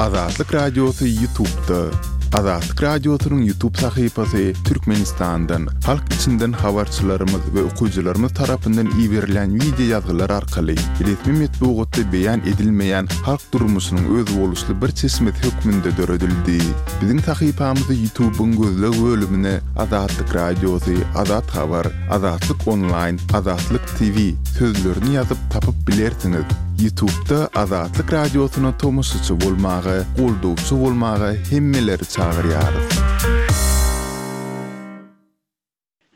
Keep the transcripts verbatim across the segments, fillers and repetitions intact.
Azatlyk Radiosy YouTube'da. Azatlyk Radiosynyň YouTube sahypasy Türkmenistandan, halk içinden habarçylarymyz we okyjylarymyz tarapyndan iberilen wideo ýazgylar arkaly resmi metbugatda beýan edilmeýän halk durmuşynyň özboluşly bir çeşmesi hökmünde döredildi. Biziň sahypamyzy YouTube'yň gözleg bölümine Azatlyk Radiosy, Azat Habar, Azatlyk Onlaýn, Azatlyk T V sözlerini ýazyp tapyp bilersiňiz. YouTube'da Azatlyk Radiosyna tomaşaçy bolmaga, goldawçy bolmaga hemmeleri çagyrýarys.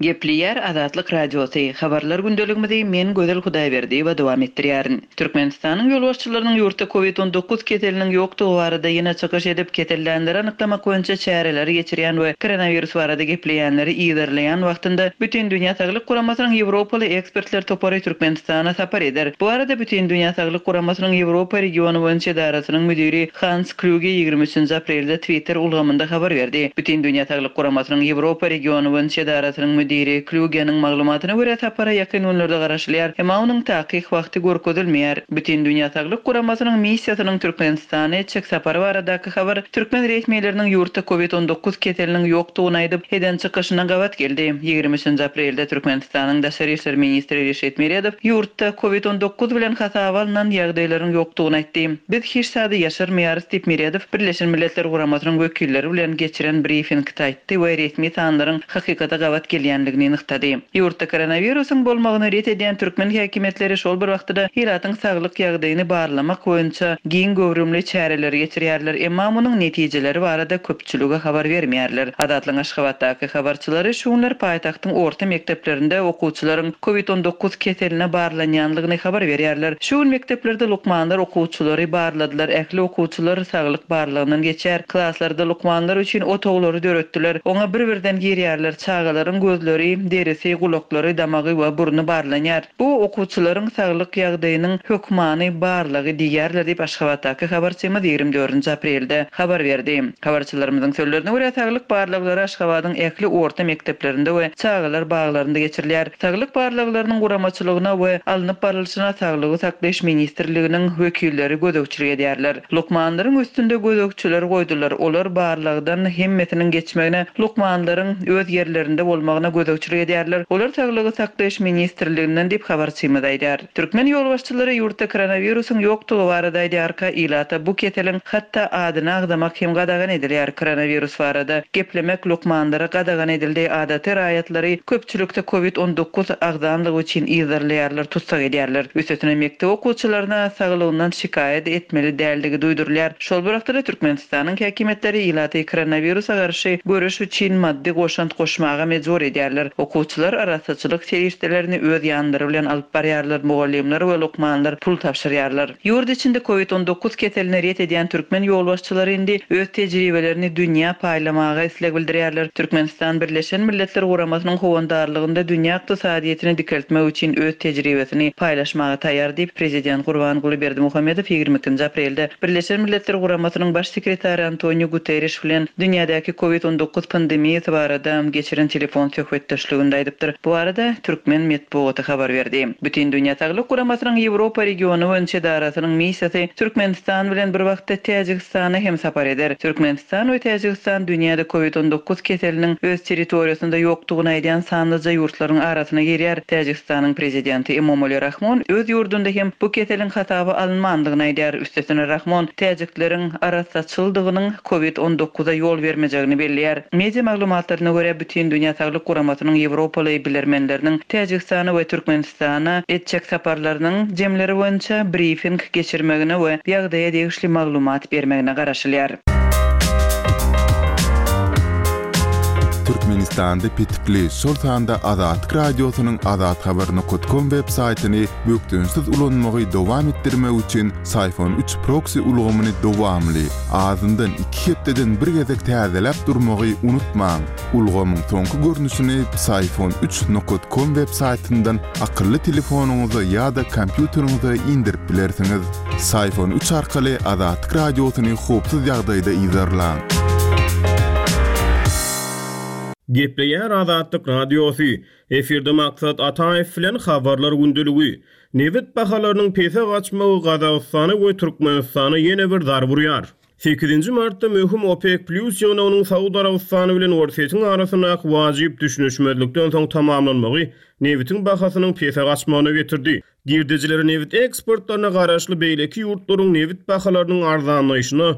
Gepleýär Azatlyk Radiosy. Habarlar gündeligimizi men Gözel Hudaýberdiýewa dowam etdirýärin. Türkmenistanyň ýolbaşçylarynyň ýurtda COVID on dokuz keseliniň ýokdugy barada ýene çykyş edip, kesellenleri anyklamak boýunça çäreleri geçirýän we koronawirus barada gepleýänleri yzarlaýan wagtynda Bütindünýä Saglyk Guramasynyň Ýewropaly ekspertler topary Türkmenistana sapar eder. Bu arada Bütindünýä Saglyk Guramasynyň Ýewropa regiony boýunça edarasynyň müdiri Hans Kluge ýigrimi üçünji aprelde Twitter ulgamynda habar berdi. Bütindünýä Saglyk Guramasynyň Ýewropa regiony boýunça edarasynyň müdiri Kluge'niň maglumatyna görä sapara ýakyn günlerde garaşylýar. Emma onuň takyk wagty görkezilmeýär. Bütindünýä Saglyk Guramasynyň missiýasynyň Türkmenistana etjek sapary baradaky habar türkmen resmileriniň ýurtda COVID on dokuz keseliniň ýokdugyny aýdyp, eden çykyşyna gabat geldi. Ýigrimi üçünji aprelde Türkmenistanyň Daşary işler ministri Reşit Meredow ýurtda COVID on dokuz bilen hasaba alnan ýagdaýlaryň ýokdugyny aýtdy. Biz hiç zady ýaşyrmaýarys diýip Meredow Birleşen Milletler Guramasynyň wekilleri bilen geçiren briefingde aýtdy we resmi sanlaryň hakykata gabat gelýänligini nygtady. Ýurtda koronawirusyň bolmagyny ret edýän türkmen häkimiýetleri şol bir wagtda ilatyň saglyk ýagdaýyny barlamak boýunça giň göwrümli çäreleri geçirýärler, emma munuň netijeleri barada köpçülige habar bermeýärler. Azatlyk Aşgabatdaky habarçylary şu günler paýtagtyň orta mekdeplerinde okuwçylaryň COVID on dokuz keseline barlanýanlygyny habar berýärler. Şu gün mekdeplerde lukmanlar okuwçylary barladylar, ähli okuwçylar saglyk barlagyndan geçer. Klaslarda lukmanlar üçin otaglary döretdiler. Oňa bir-birden girýärler. Çagalaryň gözleri, derisi, gulaklary, damagy we burny barlanýar. Bu okuwçylaryň saglyk ýagdaýynyň hökmany barlagy diýýärler diýip Aşgabatdaky habarçymyz ýigrimi dördünji aprelde habar berdi. Habarçylarymyzyň sözlerine görä saglyk barlaglary Aşgabadyň ähli orta mekdeplerinde we çagalar baglarynda geçirilýär. Saglyk barlaglarynyň guramaçylygyna we alnyp barylşyna Saglygy saklaýyş ministrliginiň wekilleri gözegçilik edýärler. Lukmanlaryň üstünde gözegçiler goýdular. Olar barlagdan hemmesiniň geçmegine, lukmanlaryň öz ýerlerinde bolmagyna gözegçilik edýärler. Olar Saglygy saklaýyş ministrliginden diýip habarçymyz aýdar. Türkmen ýolbaşçylary ýurtda koronawirusyň ýokdugy barada aýdýarka, ilata bu keseliň hatda adyny agzamak hem gadagan edilýär. Koronawirus barada geplemek lukmanlara gadagan edildi. Adaty raýatlary köpçülikde COVID on dokuz agzanlygy üçin yzarlaýarlar, tutsak edýärler. Üstesine mekdep okuwçylaryna saglygyndan şikaýat etmeli däldigi duýdurylýar. Şol bir wagtda Türkmenistanyň häkimiýetleri ilaty koronawirusa garşy göreş üçin maddy goşant goşmaga mejbur edýärler. Okuwçylar arassaçylyk serişdelerini öz ýanlary bilen alyp barýarlar, mugallymlar we lukmanlar pul tabşyrýarlar. Ýurt içinde COVID on dokuz keselini ret edýän türkmen ýolbaşçylary indi öz tejribelerini dünýä paýlamaga isleg bildirýärler. Türkmenistan Birleşen Milletler Guramasynyň howandarlygynda dünýä ykdysadyýetini dikeltmek üçin öz tejribesini paýlaşmaga taýýar diýip prezident Gurbanguly Berdimuhamedow ýigrimi ikinji aprelde Birleşen Milletler Guramasynyň baş sekretary Antonio Guterres bilen dünýädäki COVID on dokuz pandemiýasy barada geçiren telefon söhbetdeşliginde aýdypdyr. Bu arada türkmen metbugaty habar berdi. Bütindünýä Saglyk Guramasynyň Ýewropa regiony boýunça edarasynyň missiýasy Türkmenistan bilen bir wagtda Täjigistana hem sapar eder. Türkmenistan we Täjigistan dünýäde COVID on dokuz keseliniň öz territoriýasynda ýokdugyny aýdýan sanlyja ýurtlaryň arasyna girýär. Täjigistanyň prezidenti Emomali Rahmon öz ýurdunda hem bu keseliň hasaba alynmandygyny aýdýar. Üstesine Rahmon täjikleriň arassaçyldygynyň COVID on dokuza ýol bermejegini belleýär. Media maglumatlaryna görä Bütindünýä Saglyk Guramasynyň Ýewropaly bilermenleriniň Täjigistana we Türkmenistana etjek saparlarynyň jemleri boýunça briefing geçirmegine we ýagdaýa degişli maglumat bermegine garaşylýar. Türkmenistanda petikli, şol sanda Azatlyk Radiosynyň azathabar nokta com web saýtyny bökdençsiz ulanmagy dowam etdirmek üçin Syfon üç proxy ulgamyny dowamly, azyndan iki hepdeden bir gezek täzeläp durmagy unutmaň. Ulgamyň soňky görnüşini Syfon üç nokta com web saýtyndan akylly telefonyňyza ýa-da kompýuteriňize indirip bilersiňiz. Syfon üç arkaly Azatlyk Radiosyny howpsuz ýagdaýda yzarlaň. Gepleýär Azatlyk Radiosy. Efirde Maksat Ataýew bilen habarlar gündeligi. Nebit bahalarynyň pese gaçmagy Gazagystana we Türkmenistana ýene bir zarba urýar. Sekizinji martda möhüm OPEC Plus ýygnagynyň Saud Arabystany bilen Orsýetiň arasyndaky wajyp düşünişmezlikden soň tamamlanmagy nebitiň bahasynyň pese gaçmagyna getirdi. Girdejileri nebit eksportlaryna garaşly beýleki ýurtlaryň nebit bahalarynyň arzanlaýşyna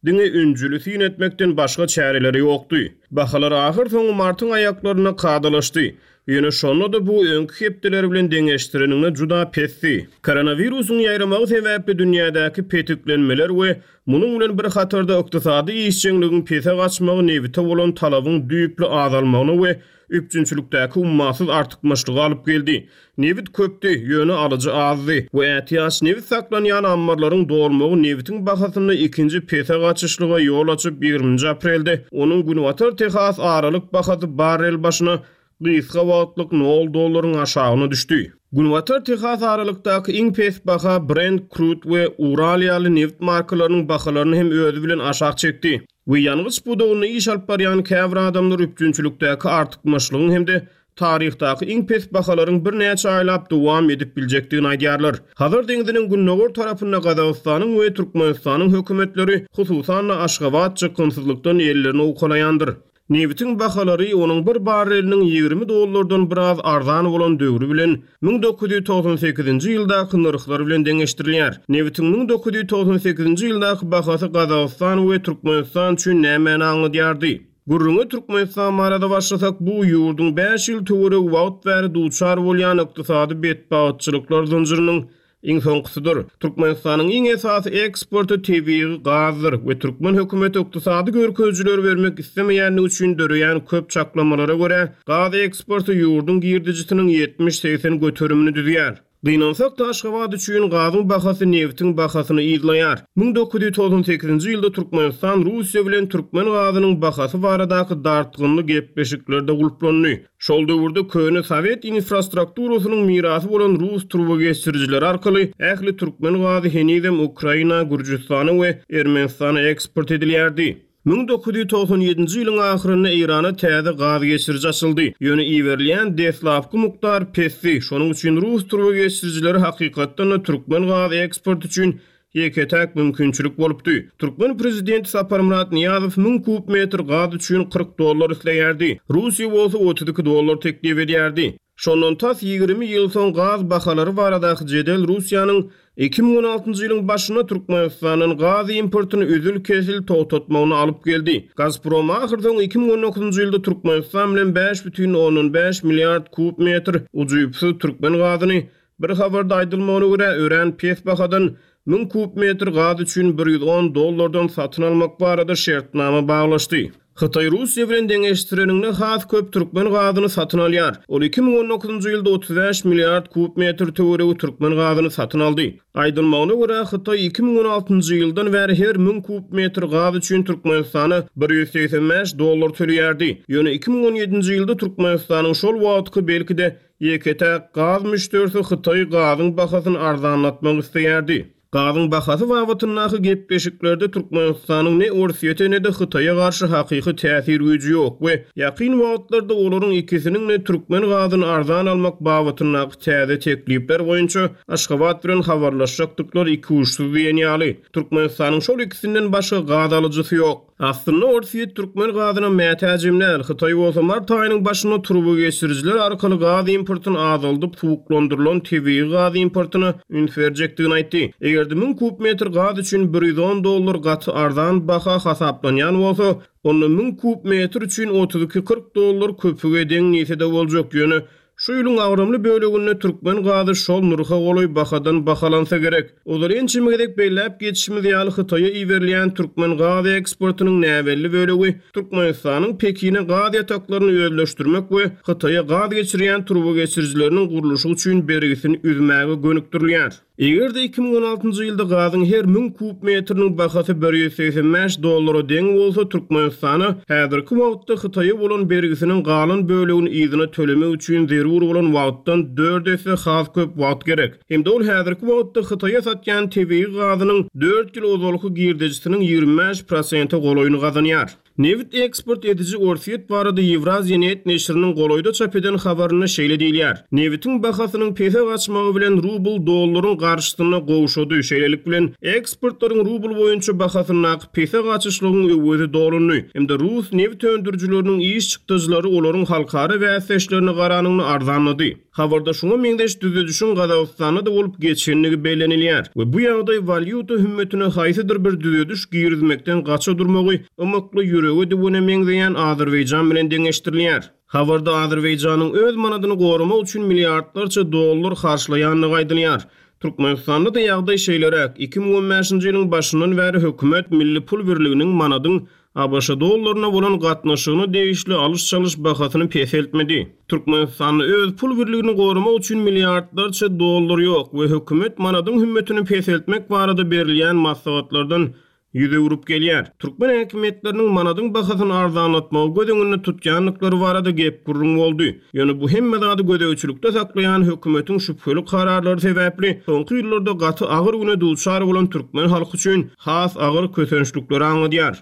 diňe ünjüli syn etmekden başga çäreleri ýokdy. Bahalar ahyrsoňy martyň aýaklarynda kadalaşdy. Ýöne şonda-da bu öňki hepdeler bilen deňeşdireniňde juda pesdi. Koronawirusyň ýaýramagy sebäpli dünýädäki petiklenmeler we munuň bilen bir hatarda ykdysady işjeňligiň pese gaçmagy nebite bolan talabyň düýpli azalmagyna we üpjünçilikdäki ummasyz artykmaçlyga alyp geldi. Nebit köpdi, ýöne alyjy azdy we ätiýaç nebit saklanýan ammarlaryň dolmagy nebitiň bahasynda ikinji pese gaçyşlyga ýol açyp, ýigriminji aprelde onuň Günbatar Tehas aralyk bahasy barrel başyna gysga wagtlyk nol dollaryň aşagyna düşdi. Günbatar Tehas aralykdaky iň pes baha Brent Crude we Ural ýaly nebit markalarynyň bahalaryny hem özi bilen aşak çekdi. We ýangyç pudagynda iş alyp barýan käbir adamlar üpjünçilikdäki artykmaçlygyň hem-de taryhdaky iň pes bahalaryň birnäçe aýlap dowam edip biljekdigini aýdýarlar. Hazar deňziniň gündogar tarapynda Gazagystanyň we Türkmenistanyň hökümetleri, hususan-da Aşgabat çykgynsyzlykdan ellerini owkalaýandyr. Nebitiň bahalary onuň bir barreliniň ýigrimi dollardan biraz arzan bolan döwri bilen müň dokuz ýüz togsan sekizinji ýyldaky nyrhlar bilen deňeşdirilýär. Nebitiň müň dokuz ýüz togsan sekizinji ýyldaky bahasy Gazagystan we Türkmenistan üçin nämäni aňladýardy? Gürrüňe Türkmenistan barada başlasak, bu ýurduň bäş ýyl töweregi wagt bäri duçar bolýan ykdysady betbagtçylyklar zynjyrynyň iň soňkusydyr. Türkmenistanyň iň esasy eksporty tebigy gazdyr we türkmen hökümeti ykdysady görkezijileri bermek islemeýänligi üçin döreýän köp çaklamalara görä, gaz eksporty ýurduň girdejisiniň ýetmiş-segsen göterimini düzýär. Gynansak-da Aşgabat üçin gazyň bahasy nebitiň bahasyny yzlaýar. Müň dokuz ýüz togsan sekizinji ýylda Türkmenistan Russiýa bilen türkmen gazynyň bahasy baradaky dartgynly gepleşiklerde gulplandy. Şol döwürde köne sowet infrastrukturasynyň mirasy bolan rus turbageçirijileri arkaly ähli türkmen gazy henizem Ukraina, Gürjüstana we Ermenistana eksport edilýärdi. Müň dokuz ýüz togsan ýedinji ýylyň ahyrynda Eýrana täze gaz geçiriji açyldy. Ýöne iberilýän deslapky mukdar pesdi. Şonuň üçin rus turbageçirijileri hakykatdan-da türkmen gaz eksporty üçin ýeke-täk mümkinçilik bolupdy. Türkmen prezidenti Saparmyrat Nyýazow müň kub metr gaz üçin kyrk dollar isleýärdi. Russiýa bolsa otuz iki dollar teklip edýärdi. Şondan tas ýigrimi ýyl soň gaz bahalary baradaky jedel Russiýanyň iki müň on altynjy ýylyň başynda Türkmenistandan gaz importyny üzül-kesil togtatmagyny alyp geldi. Gazprom ahyrsoň iki müň on dokuzynjy ýylda Türkmenistan bilen bäş bütin ondan bäş milliard kub metr ujypsyz türkmen gazyny bir habarda aýdylmagyna görä örän pes bahadan müň kub metr gaz üçin bir ýüz on dollardan satyn almak barada şertnama baglaşdy. Hytaý Russiýa bilen deňeşdireninde has köp türkmen gazyny satyn alýar. Ol iki müň on dokuzynjy ýylda otuz bäş milliard kub metr töweregi türkmen gazyny satyn aldy. Aýdylmagyna görä Hytaý iki müň on altynjy ýyldan bäri her müň kub metr gaz üçin Türkmenistana bir ýüz segsen bäş dollar töleýärdi. Ýöne iki müň on ýedinji ýylda Türkmenistanyň şol wagtky belki-de ýeke-täk gaz müşderisi Hytaý gazyň bahasyny arzanlatmak isleýärdi. Gazyň bahasy babatyndaky gepleşiklerde Türkmenistanyň ne Orsýete ne-de Hytaýa garşy hakyky täsir güýji ýok we ýakyn wagtlarda olaryň ikisiniň ne türkmen gazyny arzan almak babatyndaky täze teklipler boýunça Aşgabat bilen habarlaşjakdyklary iki uçsuz diýen ýaly. Türkmenistanyň şol ikisinden başga gaz alyjysy ýok. Aslynda Orsýet türkmen gazyna mätäjem däl. Hytaý bolsa mart aýynyň başynda turbageçirijiler arkaly gaz importyny azaldyp suwuklandyrylan tebigy gaz importyna üns berjekdigini aýtdy. Eger-de müň kub metr gaz üçin bir ýüz on dollar gaty arzan baha hasaplanýan bolsa, onda müň kub metr üçin otuz iki kyrk dollar köpüge deň diýse-de boljak. Ýöne şu ýylyň agramly böleginde türkmen gazy şol nyrha golaý bahadan bahalansa gerek. Ozal ençeme gezek belläp geçişimiz ýaly Hytaýa iberilýän türkmen gaz eksportynyň näbelli bölegi Türkmenistanyň Pekine gaz ýataklaryny özleşdirmek we Hytaýa gaz geçirýän turbageçirijileriniň gurluşy üçin bergisini üzmäge gönükdirilýär. Eger-de iki müň on altynjy ýylda gazyň her müň kub metriniň bahasy bir ýüz segsen bäş dollara deň bolsa, Türkmenistana häzirki wagtda Hytaýa bolan bergisiniň galan bölegini yzyna tölemek üçin zerur bolan wagtdan dört esse has köp wagt gerek. Hem-de ol häzirki wagtda Hytaýa satýan tebigy gazynyň dört ýyl ozalky girdejisiniň ýigrimi bäş prosente golaýyny gazanýar. Nebit eksport ediji Orsýet barada Ýewraziýa net neşiriniň golaýda çap eden habarynda şeýle diýilýär, Nebitiň bahasynyň pese gaçmagy bilen rubl dollaryň garşysynda gowşady, şeýlelik bilen eksportlaryň rubl boýunça bahasyndaky pese gaçyşlygyň öwezi dolundy hem-de rus nebit öndürijileriniň iş çykdajylary olaryň halkara bäsdeşlerine garanyňda arzanlady. Habarda şuňa meňzeş düzedişiň Gazagystanda-da bolup geçendigi bellenilýär we bu ýagdaý walýuta hümmetine haýsydyr bir düzediş girizmekden gaça durmagy ymykly ýürege düwene meňzeýän Azerbaýjan bilen deňeşdirilýär. Habarda Azerbaýjanyň öz manadyny goramak üçin milliardlarça dollar harçlaýandygy aýdylýar. Türkmenistanda-da ýagdaý şeýleräk, iki müň on bäşinji ýylyň başyndan bäri hökümet milli pul birliginiň manadyň A B Ş dollaryna bolan gatnaşygyna degişli alyş-çalyş bahasyny peseltmedi. Türkmenistanda öz pul birligini goramak üçin milliardlarça dollar ýok we hökümet manadyň hümmetini peseltmek barada berilýän maslahatlardan ýüz öwrüp gelýär. Türkmen häkimiýetleriniň manadyň bahasyny arzanlatmagy göz öňünde tutýandyklary barada gep gürrüň boldy. Ýöne bu hemme zady gözegçilikde saklaýan hökümetiň şübheli kararlary sebäpli soňky ýyllarda gaty agyr güne duçar bolan türkmen halky üçin has agyr kösençlikleri aňladýar.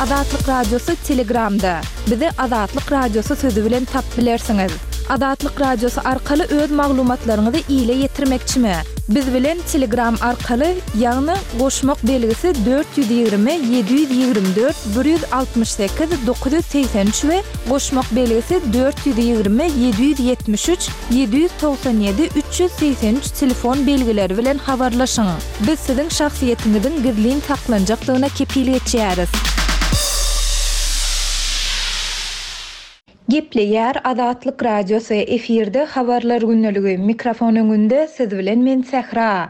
Azatlyk Radiosy Telegramda. Bizi Azatlyk Radiosy sözü bilen tap bilersiňiz. Azatlyk Radiosy arkaly öz maglumatlaryňyzy ile ýetirmekçimi? Biz bilen Telegram arkaly, ýagny goşmak belgisi dört ýüz ýigrimi, ýedi ýüz ýigrimi dört, bir ýüz altmyş sekiz, dokuz ýüz segsen üç we goşmak belgisi dört ýüz ýigrimi, ýedi ýüz ýetmiş üç, ýedi ýüz togsan ýedi, üç ýüz segsen üç telefon belgileri bilen habarlaşyň. Biz siziň şahsyýetiňiziň gizlin saklanjakdygyna kepil geçýäris. Gepleýär Azatlyk Radiosy, efirde habarlar gündeligi, mikrofon öňünde siz bilen men Sähra.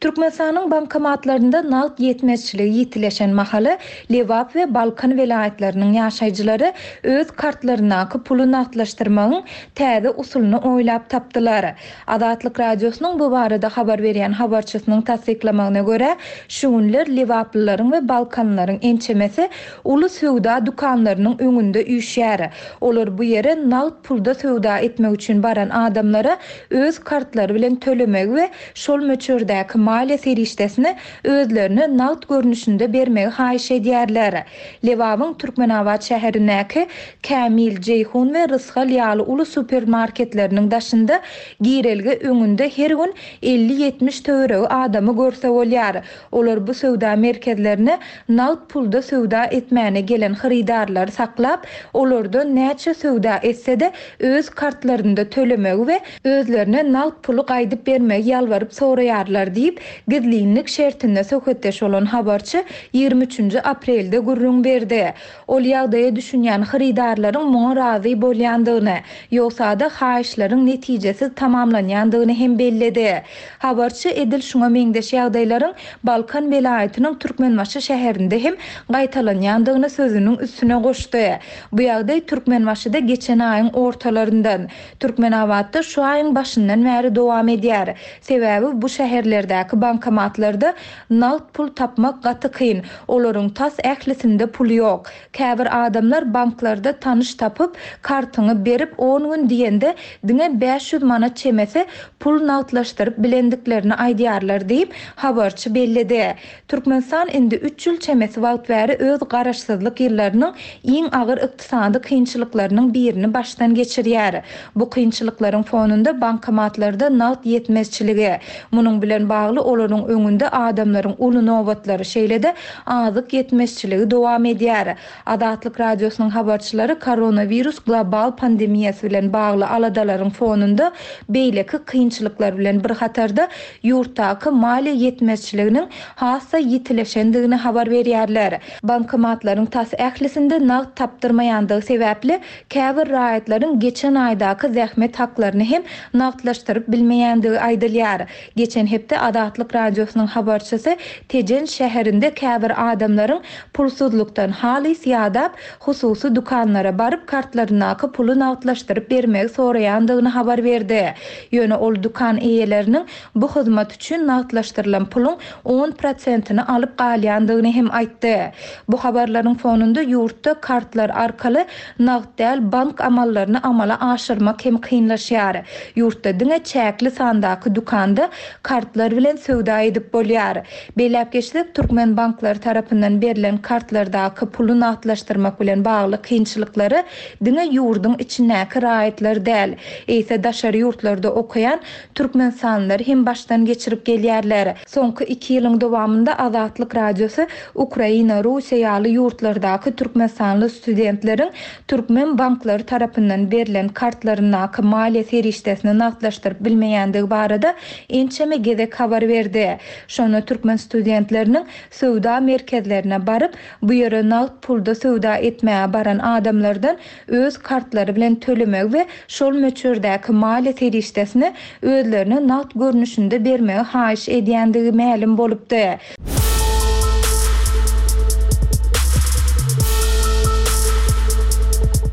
Türkmenistanyň bankomatlarynda nagt ýetmezçiligi ýitileşen mahaly Lebap we Balkan welaýatlarynyň ýaşaýjylary öz kartlaryndaky puly nagtlaşdyrmagyň täze usulyny oýlap tapdylar. Azatlyk Radiosynyň bu barada habar berýän habarçysynyň tassyklamagyna görä, şu günler Lebaplylaryň we Balkanlaryň ençemesi uly söwda dükanlarynyň öňünde üýşýär. Olar bu ýere nagt pulda söwda etmek üçin baran adamlara öz kartlary bilen tölemegi we şol möçberdäki maliýe serişdesini özlerine nagt görnüşinde bermegi haýyş edýärler. Lebabyň Türkmenabat şäherindäki Kämil, Jeýhun we Rysgal ýaly uly supermarketleriniň daşynda girelge öňünde her gün elli ýetmiş töweregi adamy görse bolýar. Olar bu söwda merkezlerine nagt pulda söwda etmäne gelen hyrydarlary saklap, olardan näçe söwda etse-de öz kartlarynda tölemegi we özlerine nagt puly gaýdyp bermegi ýalbaryp soraýarlar diýip, gizlinlik şertinde söhbetdeş bolan habarçy ýigrimi üçünji aprelde gürrüň berdi. Ol ýagdaýa düşünýän hyrydarlaryň muňa razy bolýandygyny, ýogsa-da haýyşlaryň netijesiz tamamlanýandygyny hem belledi. Habarçy edil şuňa meňzeş ýagdaýlaryň Balkan welaýatynyň Türkmenbaşy şäherinde hem gaýtalanýandygyny sözüniň üstüne goşdy. Bu ýagdaý Türkmenbaşyda geçen aýyň ortalaryndan, Türkmenabatda şu aýyň başyndan bäri dowam edýär. Sebäbi bu şäherlerdäki bankomatlarda nagt pul tapmak gaty kyn. Olaryň tas ählisinde pul ýok. Käbir adamlar banklarda tanyş tapyp, kartyňy berip on gün diýende diňe bäş ýüz manat çemesi pul nagtlaşdyryp bilendiklerini aýdýarlar diýip, habarçy belledi. Türkmenistan indi üç ýyl çemesi wagt bäri öz garaşsyzlyk ýyllarynyň iň agyr ykdysady kynçylyklarynyň birini başdan geçirýär. Bu kynçylyklaryň fonunda bankomatlarda nagt ýetmezçiligi, munuň bilen bagly olaryň öňünde adamlaryň uly nobatlary, şeýle-de azyk ýetmezçiligi dowam edýär. Azatlyk Radiosynyň habarçylary koronawirus global pandemiýasy bilen bagly aladalaryň fonunda beýleki kynçylyklar bilen bir hatarda ýurtdaky maliýe ýetmezçiliginiň hassa ýitileşendigini habar berýärler. Bankomatlaryň tas ählisinde nagt tapdyrmaýandygy sebäpli käbir raýatlaryň geçen aýdaky zähmet haklaryny hem nagtlaşdyryp bilmeýändigi aýdylýar. Geçen hepde Azatlyk Radiosynyň habarçysy Tejen şäherinde käbir adamlaryň pulsuzlukdan halys ýadap, hususy dükanlara baryp kartlaryndaky puly nagtlaşdyryp bermegi soraýandygyny habar berdi. Ýöne ol dükan eýeleriniň bu hyzmat üçin nagtlaşdyrylan puluň on prosentini alyp galýandygyny hem aýtdy. Bu habarlaryň fonunda ýurtda kartlar arkaly nagt däl bank amallaryny amala aşyrmak hem kynlaşýar. Ýurtda diňe çäkli sandaky dükanda kartlar bilen bilen söwda edip bolýar. Belläp geçsek, türkmen banklary tarapyndan berlen kartlardaky puly nagtlaşdyrmak bilen bagly kynçylyklary diňe ýurduň içindäki raýatlar däl, eýse daşary ýurtlarda okaýan türkmenistanlylar hem başdan geçirip gelýärler. Soňky iki ýylyň dowamynda Azatlyk Radiosy Ukraina, Russiýa ýaly ýurtlardaky türkmenistanly studentleriň türkmen banklary tarapyndan berlen kartlaryndaky maliýe serişdesini nagtlaşdyryp bilmeýändigi barada ençeme gezek habar berdi. Şonda türkmen studentleriniň söwda merkezlerine baryp, bu ýere nagt pulda söwda etmäge baran adamlardan öz kartlary bilen tölemegi we şol möçberdäki maliýe serişdesini özlerine nagt görnüşinde bermegi haýyş edýändigi mälim bolupdy.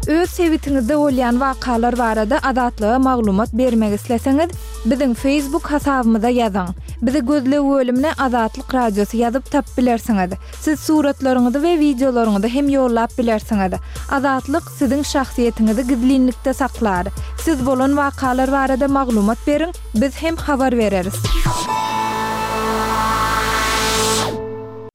Öz sebitiňizde bolýan wakalar barada Azatlyga maglumat bermek isleseňiz, biziň Facebook hasabymyza ýazyň. Bizi gözleg bölümine Azatlyk Radiosy ýazyp tapyp bilersiňiz. Siz suratlaryňyzy we wideolaryňyzy hem ýollap bilersiňiz. Azatlyk siziň şahsyýetiňizi gizlinlikde saklar. Siz bolan wakalar barada maglumat beriň, biz hem habar bereris.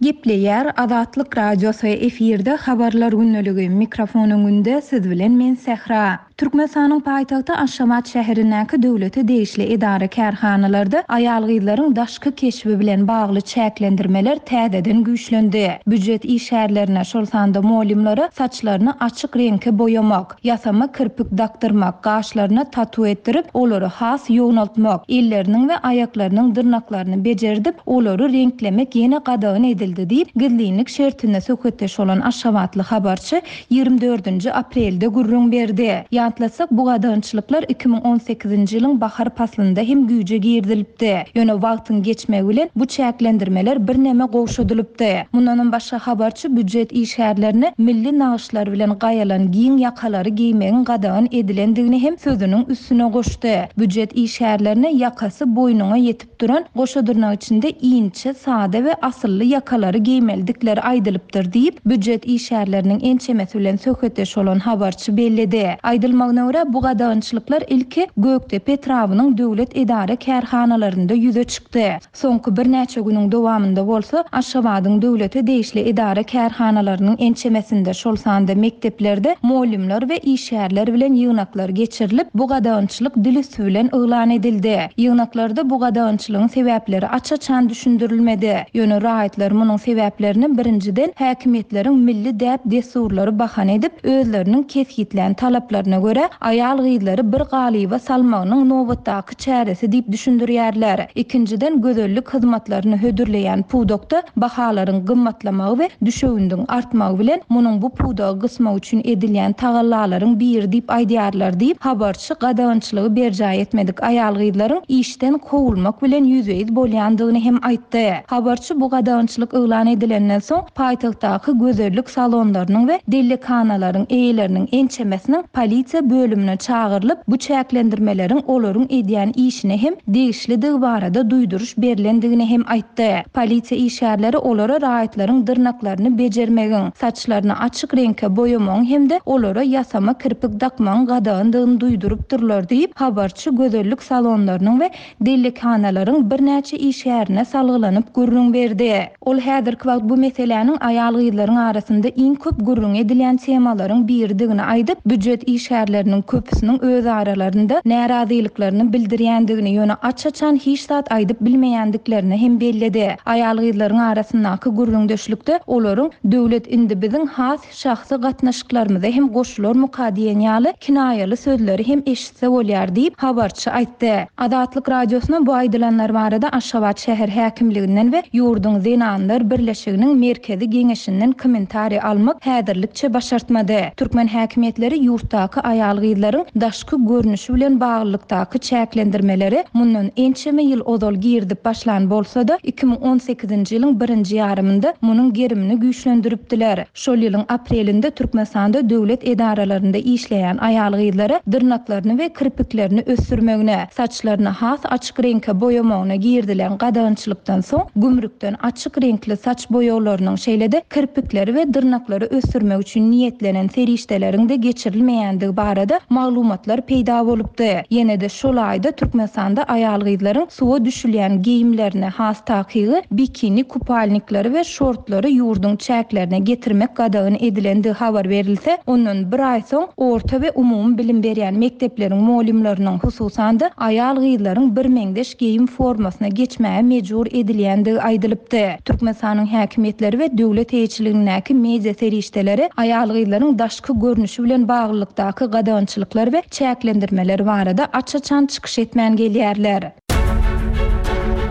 Gepleýär Azatlyk Radiosy efirde habarlar gündeligi mikrofon öňünde siz bilen men Sähra. Türkmenistanyň paýtagty Aşgabat şäherindäki döwlete degişli edara kärhanalarda aýal-gyzlaryň daşky keşbi bilen bagly çäklendirmeler täzeden güýçlendi. Býujet işgärlerine, şol sanda mugallymlara saçlaryny açyk reňke boýamak, ýasama kirpik dakdyrmak, gaşlaryna tatu etdirip, olary has ýognaltmak, elleriniň we aýaklarynyň dyrnaklaryny becerdip, olary reňklemek ýene gadagan edildi diýip, gizlinlik şertinde söhbetdeş bolan Aşgabatly habarçy ýigrimi dördünji aprelde gürrüň berdi. Ýatlasak, bu gadagançylyklar iki müň on sekizinji ýylyň bahar paslynda hem güýje girizilipdi. Ýöne wagtyň geçmegi bilen bu çäklendirmeler birneme gowşadylypdy. Mundanam başga habarçy býujet işgärlerine milli nagyşlar bilen gaýalan giň ýakalary geýmegiň gadagan edilendigini hem sözüniň üstüne goşdy. Býujet işgärlerine ýakasy boýnuňa ýetip duran goşa dyrnak içinde inçe, sada we asylly ýakalary geýmelidikleri aýdylypdyr diýip, býujet işgärleriniň ençemesi bilen söhbetdeş bolan habarçy belledi. Aýdylmagyna görä, bu gadagançylyklar ilki Gökdepe etrabynyň döwlet edara kärhanalarynda ýüze çykdy. Soňky birnäçe günüň dowamynda bolsa Aşgabadyň döwlete degişli edara kärhanalarynyň ençemesinde, şol sanda mekdeplerde mugallymlar we işgärler bilen ýygnaklar geçirilip, bu gadagançylyk dil üstü bilen yglan edildi. Ýygnaklarda bu gadagançylygyň sebäpleri aç-açan düşündirilmedi. Ýöne raýatlar munuň sebäplerini birinjiden häkimiýetleriň milli däp-dessurlary bahana edip, özleriniň kesgitlän talaplaryna görä aýal-gyzlary bir galyba salmagynyň nobatdaky çäresi diýip düşündirýärler. Ikinjiden gözellik hyzmatlaryny hödürleýän pudakda bahalaryň gymmatlamagy we düşewündiň artmagy bilen munuň bu pudagy gysmak üçin edilýän tagallalaryň biri diýip aýdýarlar diýip, habarçy gadagançylygy berjaý etmedik aýal-gyzlaryň işden kowulmak bilen ýüzbe-ýüz bolýandygyny hem aýtdy. Habarçy bu gadagançylyk yglan edilenden soň paýtagtdaky gözellik salonlarynyň we dellekanalaryň eýeleriniň ençemesiniň polisiýa bölümine çagyrylyp, bu çäklendirmeleriň olaryň edýän işine hem degişlidigi barada duýduryş berlendigini hem aýtdy. Polisiýa işgärleri olara raýatlaryň dyrnaklaryny bejermegiň, saçlaryny açyk reňke boýamagyň hem-de olara ýasama kirpik dakmagyň gadagandygyny duýdurypdyrlar diýip, habarçy gözellik salonlarynyň we dellekanalaryň birnäçe işgärine salgylanyp gürrüň berdi. Ol häzirki wagt bu meseläniň aýal-gyzlaryň arasynda iň köp gürrüň edilýän temalaryň biridigini aýdyp, býujet işgärleriniň köpüsiniň öz aralarynda närazylyklaryny bildirýändigini, ýöne aç-açan hiç zat aýdyp bilmeýändiklerini hem belledi. Aýal-gyzlaryň arasyndaky gürrüňdeşlikde olaryň döwlet indi biziň has şahsy gatnaşyklarymyza hem goşularmyka diýen ýaly kinaýaly sözleri hem eşitse bolýar diýip, habarçy aýtdy. Azatlyk Radiosyna bu aýdylanlar barada Aşgabat şäher häkimliginden we ýurduň Zenanlar Birleşiginiň Merkezi Geňeşinden kommentariý almak häzirlikçe başartmady. Türkmen häkimiýetleri ýurtdaky aýal-gyzlaryň daşky görnüşi bilen baglylykdaky çäklendirmeleri mundan ençeme ýyl ozal girdip başlan bolsa-da, iki müň on sekizinji ýylyň birinji ýarymynda munuň gerimini güýçlendiripdiler. Şol ýylyň aprelinde Türkmenistanda döwlet edaralarynda işleýän aýal-gyzlara dyrnaklaryny we kirpiklerini ösdürmegine, saçlaryny has açyk reňke boýamagyna girdilen gadagançylykdan soň gümrükden açyk reňkli Reňkli saç boýaglarynyň, şeýle-de kirpikleri we dyrnaklary ösdürmek üçin niýetlenen serişdeleriň-de geçirilmeýändigi barada maglumatlar peýda bolupdy. Ýene-de şol aýda Türkmenistanda aýal-gyzlaryň suwa düşülýän geýimlerini, has takygy, bikini kupalnikleri we şortlary ýurduň çäklerine getirmek gadagan edilendigi habar berilse, ondan bir aý soň orta we umumy bilim berýän mekdepleriň mugallymlarynyň, hususan-da, aýal-gyzlaryň birmeňzeş geýim formasyna geçmäge mejbur edilýändigi aýdylypdy. Türkmenistanyň häkimiýetleri we döwlet eýeçiligindäki media serişdeleri aýal-gyzlaryň daşky görnüşi bilen baglylykdaky gadagançylyklar we çäklendirmeler barada aç-açan çykyş etmän gelýärler.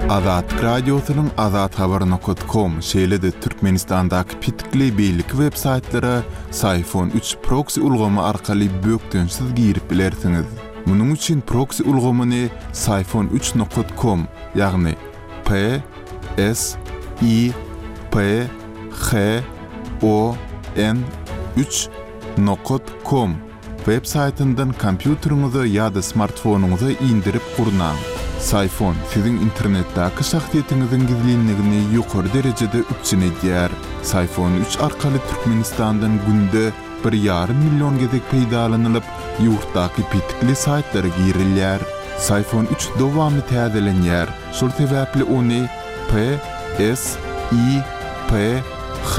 Azatlyk Radiosynyň azathabar nokat kom, şeýle-de Türkmenistandaky petikli beýleki web-saýtlara Syfon üç proksi ulgamy arkaly bökdençsiz girip bilersiňiz. Munuň üçin proksi ulgamyny Syfon üç nokat kom, ýagny P S I P H O N üç nokat kom web saýtyndan kompýuteriňize ýa-da smartfonyňyza indirip gurnaň. Syfon siziň internetdäki şahsyýetiňiziň gizlinligini ýokary derejede üpjün edýär. Syfon üç arkaly Türkmenistandan günde bir ýarym million gezek peýdalanylyp, ýurtdaky petikli saýtlara girilýär. Syfon üç dowamly täzelenýär, şol sebäpli ony P S I P H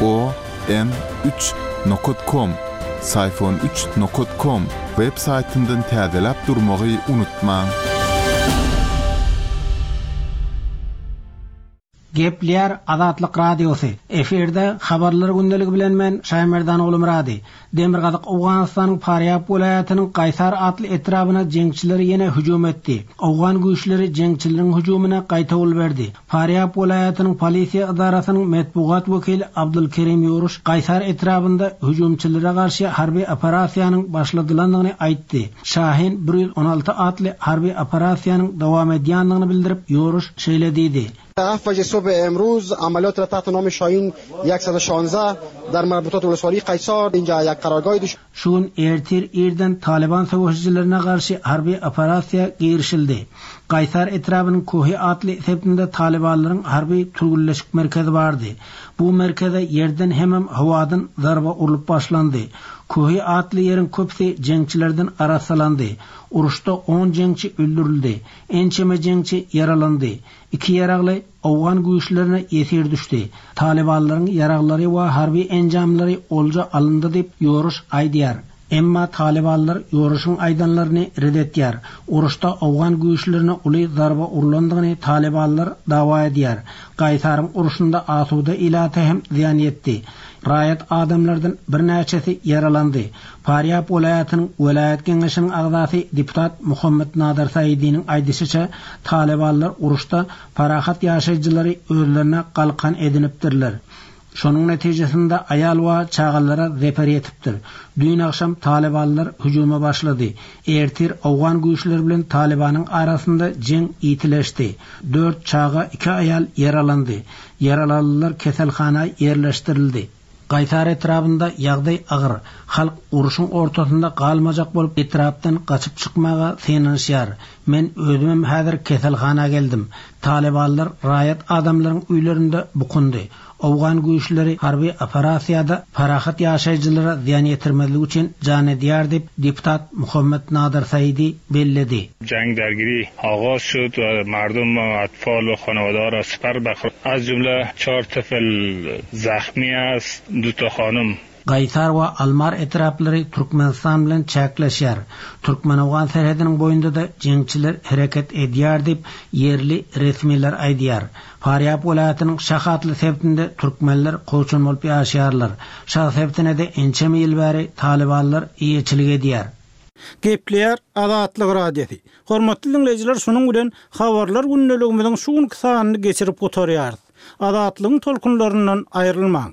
O N üç nokat kom, Syfon üç nokat kom web saýtyndan täzeläp durmagy unutmaň. Gepleýär Azatlyk Radiosy. Efirde habarlar gündeligi bilen men Şaýmerdan Oglumyrady. Demirgazyk Owganystanyň Farýab welaýatynyň Gaýsar atly etrabyna jeňçiler ýene hüjüm etdi. Owgan güýçleri jeňçileriň hüjümine gaýtawul berdi. Farýab welaýatynyň polisiýa edarasynyň metbugat wekili Abdulkerim Ýuruş Gaýsar etrabynda hüjümçilere garşy harby operasiýanyň başladylandygyny aýtdy. Şahin bir ýüz on alty atly harby operasiýanyň dowam edýändigini bildirip, Ýuruş şeýle diýdi. هفت بجه صبح امروز عملیات را تحت نام شاهین یکصد و شانزده در مربوطات ولسوالی قیصار اینجا یک قرارگاه دش Şu gün ertir irden Taliban savaşçılarına karşı harbi operasiýa girişildi. Gaýsar etrabynyň Kohi atly sebitinde Talibanlaryň harby türgünleşik merkezi bardy. Bu merkeze yerden hemem havadan zarba urlup başlandy. Kohi atly ýeriň köpüsi jeňçilerden arasalandy. Uruşda on jeňçi öldürildi. Ençeme jeňçi ýaralandy. Iki ýaragly Owgan güýçlerine ýesir düşdi. Talibanlaryň ýaraglary we harby enjamlary olja alyndy diýip ýoruş aýdýar. Emma Talibanlar ýoruşyň aýdanlaryny red etýär. Uruşda Owgan güýçlerine uly zarba urlandygyny Talibanlar dawa edýär. Gaýsaryň uruşynda asuda ilata hem zyýan ýetdi. Raýat adamlardan birnäçesi ýaralandy. Farýab welaýatynyň welaýat geňeşiniň agzasy deputat Muhammed Nadir Saidiniň aýdyşyça Talibanlar uruşda parahat ýaşaýjylary özlerine galkan edinipdirler. Şonuň netijesinde aýal we çagalara zeper ýetipdir. Düýn agşam Talibanlar hüjüme başlady. Ertir Owgan güýçleri bilen Talibanyň arasynda jeň ýitileşdi. Dört çaga, iki aýal ýaralandy. Ýaralanlar keselhana ýerleşdirildi. Gaýsar etrabynda ýagdaý agyr. Halk uruşyň ortasynda galmajak bolup etrapdan gaçyp çykmaga synanyşýar. Men özümem häzir keselhana geldim. Talibanlar raýat adamlaryň öýlerinde bukundy. Owgan güýçleri harby operasiýada parahat ýaşaýjylara zyýan ýetirmezlik üçin jan edýär diýip deputat Muhammed Nadir Saidi belledi. Jang درگیری آغاز شد و مردم و اطفال و خانواده را سپر بخور. از جمله چهار طفل زخمی است، دو تا خانم. Gaýsar we Almar etraplary Türkmenistan bilen çäkleşýär. Türkmen-Owgan serhediniň boýunda da jeňçiler hereket edýär diýip ýerli resmiler aýdýar. Farýab welaýatynyň Şahatly sebitinde türkmenler kowçun bolup ýaşaýarlar. Şah sebitine de ençeme ýyl bäri Talibanlar eýeçilik edýär. Gepleýär Azatlyk Radiosy. Hormatly dinleýjiler, şunuň bilen habarlar gündeligimiziň şu günki sanyny geçirip gutarýarys. Azatlygyň tolkunlaryndan aýrylmaň.